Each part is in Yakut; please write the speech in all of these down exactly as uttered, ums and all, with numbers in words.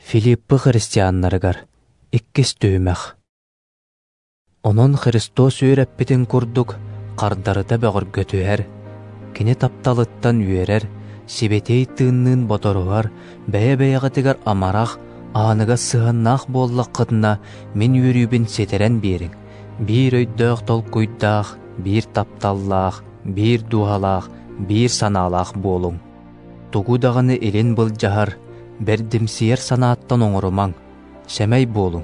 Филиппы христианнарыгар иккис түһүмэх. Онон Христос үөрэппитин курдук хардарыта бөҕөргөтүһэр, кини тапталыттан үөрэр, сибэтиэй тыынныын боторуһар, бэйэ-бэйэҕитигэр амарах, ааныгас сыһыаннаах буоллаххытына, мин үөрүүбүн ситэрэн биэриҥ. Биир өйдөөх толкуйдаах, биир тапталлаах, биир дууһалаах, биир санаалаах буолуҥ. Тугу даҕаны илин былдьаһар, бэрдимсийэр санааттан оҥорумаҥ, сэмэй буолуҥ,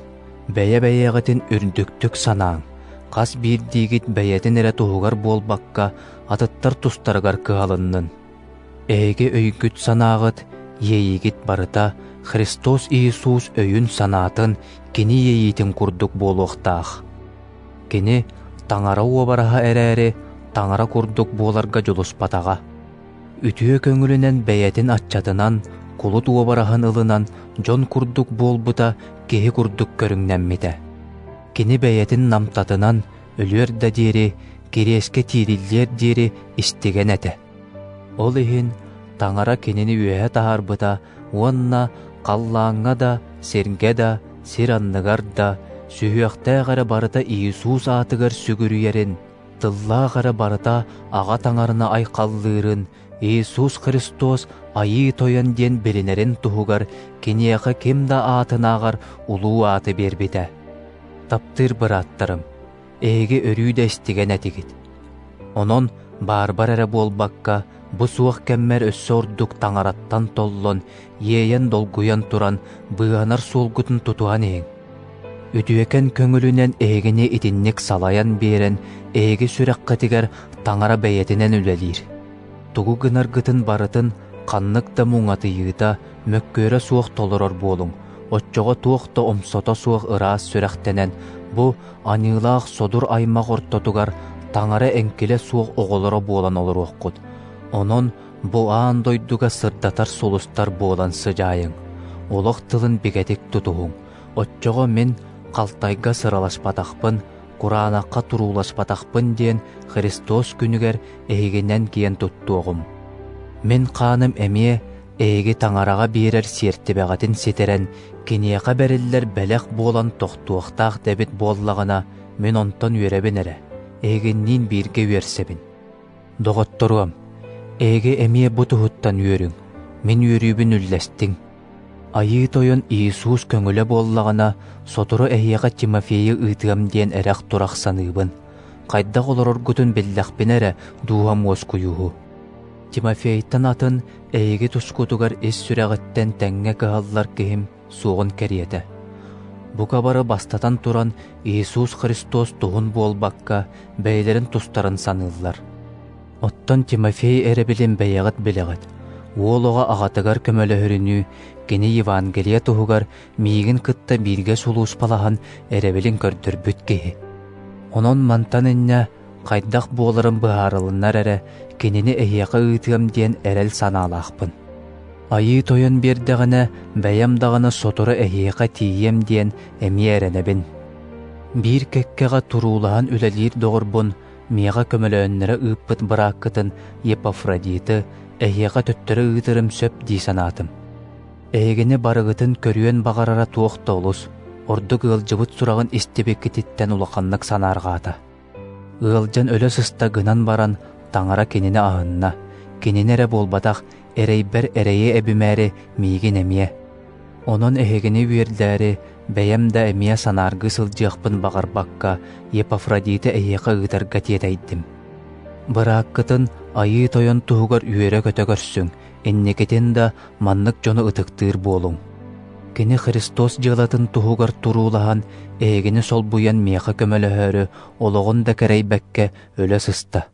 бэйэ-бэйэҕитин үрдүктүк санааҥ, хас биирдиигит бэйэтин эрэ туһугар буолбакка, атыттар тустарыгар кыһалыннын. Эһиги өйгүт санааҕыт, иэйиигит барыта Христос Иисус өйүн-санаатын, кини иэйиитин курдук буолуохтаах. Кини Таҥара уобараһа эрээри, Таҥара курдук буоларга дьулуспатаҕа. Үтүө көҥүлүнэн бэйэтин аччатынан, кулут уобараһын ылынан, дьон курдук буолбута, киһи курдук көрүҥнэммитэ. Кини бэйэтин намтатынан, өлүөр да диэри, кириэскэ тиириллиэр диэри истигэн этэ. Ол иһин Таҥара кинини үөһэ таһаарбыта уонна халлааҥҥа да, сиргэ да, сир анныгар да, сүһүөхтээх эрэ барыта Иисус аатыгар сүгүрүйэрин, тыллаах эрэ барыта Аҕа Таҥараны айхаллыырын, Иисус Христос Айыы Тойон диэн билинэрин туһугар киниэхэ ким да аатынааҕар улуу ааты биэрбитэ. Таптыыр бырааттарым, эһиги өрүү да истигэн этигит. Онон баарбар эрэ буолбакка, бу суох кэммэр өссө ордук Таҥараттан толлон, иэйэн-долгуйан туран, быыһанар суолгутун тутуһан иһиҥ. Үтүөкэн көҥүлүнэн эһигини итинник салайан биэрэн, эһиги сүрэххитигэр Таҥара бэйэтинэн үлэлиир. Тугу гынаргытын барытын ханнык да муҥатыйыыта, мөккүөрэ суох толорор буолуҥ, оччоҕо туох да омсото суох ыраас сүрэхтэнэн, бу аньыылаах содур аймах ортотугар Таҥара эҥкилэ суох оҕолоро буолан олоруоххут. Онон бу аан дойдуга сырдатар сулустар буолан сыдьаайыҥ, олох тылын бигэтик тутуһуҥ. Оччоҕо мин халтайга сыраласпатахпын, кураанахха турууласпатахпын диэн Христос күнүгэр эһигинэн киэн туттуоҕум. Мин хааным эмиэ эһиги Таҥараҕа биэрэр сиэртибэҕитин ситэрэн, киниэхэ бэриллэр бэлэх буолан тохтуохтаах дэбит буоллаҕына, мин онтон үөрэбин эрэ, эһигинниин бииргэ үөрсэбин. Доҕотторуом, эһиги эмиэ бу туһуттан үөрүҥ, мин үөрүүбүн үллэстиҥ. Айыы Тойон Иисус көҥүлэ буоллаҕына, сотору эһиэхэ Тимофейы ыытыам диэн эрэх-турах саныыбын. Хайдах олороргутун биллэхпинэ эрэ дууһам уоскуйуһу. Тимофейтан атын эһиги тускутугар ис сүрэҕиттэн тэҥҥэ кыһаллар киһим суоҕун кэриэтэ. Бука бары бастатан туран Иисус Христос туһун буолбакка, бэйэлэрин тустарын саныыллар. Оттон Тимофей эрэбилин бэйэҕит билэҕит. Уол оҕо аҕатыгар көмөлөһөрүнүү, кини Евангелие туһугар миигин кытта бииргэ сулууспалаһан эрэбилин көрдөрбүт киһи. Онон мантан инньэ хайдах буоларын быһаарылыннар эрэ, кинини эһиэхэ ыытыам диэн эрэл санаалаахпын. Айыы Тойон биэрдэҕинэ, бэйэм даҕаны сотору эһиэхэ тиийиэм диэн эмиэ эрэнэбин. Биир кэккэҕэ туруулаһан үлэлиир доҕорбун, миэхэ көмөлөөннөрө ыыппыт бырааккытын Епафродиты эһиэхэ төттөрү ыытырым сөп дии санаатым. Эһигини барыгытын көрүөн баҕарара туох да олус, ордук ыалдьыбыт сураҕын истибиккититтэн улаханнык санаарҕаата. Ыалдьан өлө сыста гынан баран, Таҥара кинини аһынна, кинини эрэ буолбатах, эрэйбэр эрэйи эбимээри миигин эмиэ. Онон эһигини үөрдээри, бэйэм да эмиэ санааргыы сылдьыахпын баҕарбакка, Епафродиты эһиэхэ ыытарга тиэтэйдим. Бырааккытын Айыы Тойон туһугар үөрэ-көтө көрсүҥ, инникитин да маннык дьону ытыктыыр буолуҥ. Кини Христос дьыалатын туһугар туруулаһан, эһигини солбуйан миэхэ көмөлөһөөрү, олоҕун да кэрэйбэккэ өлө сыста.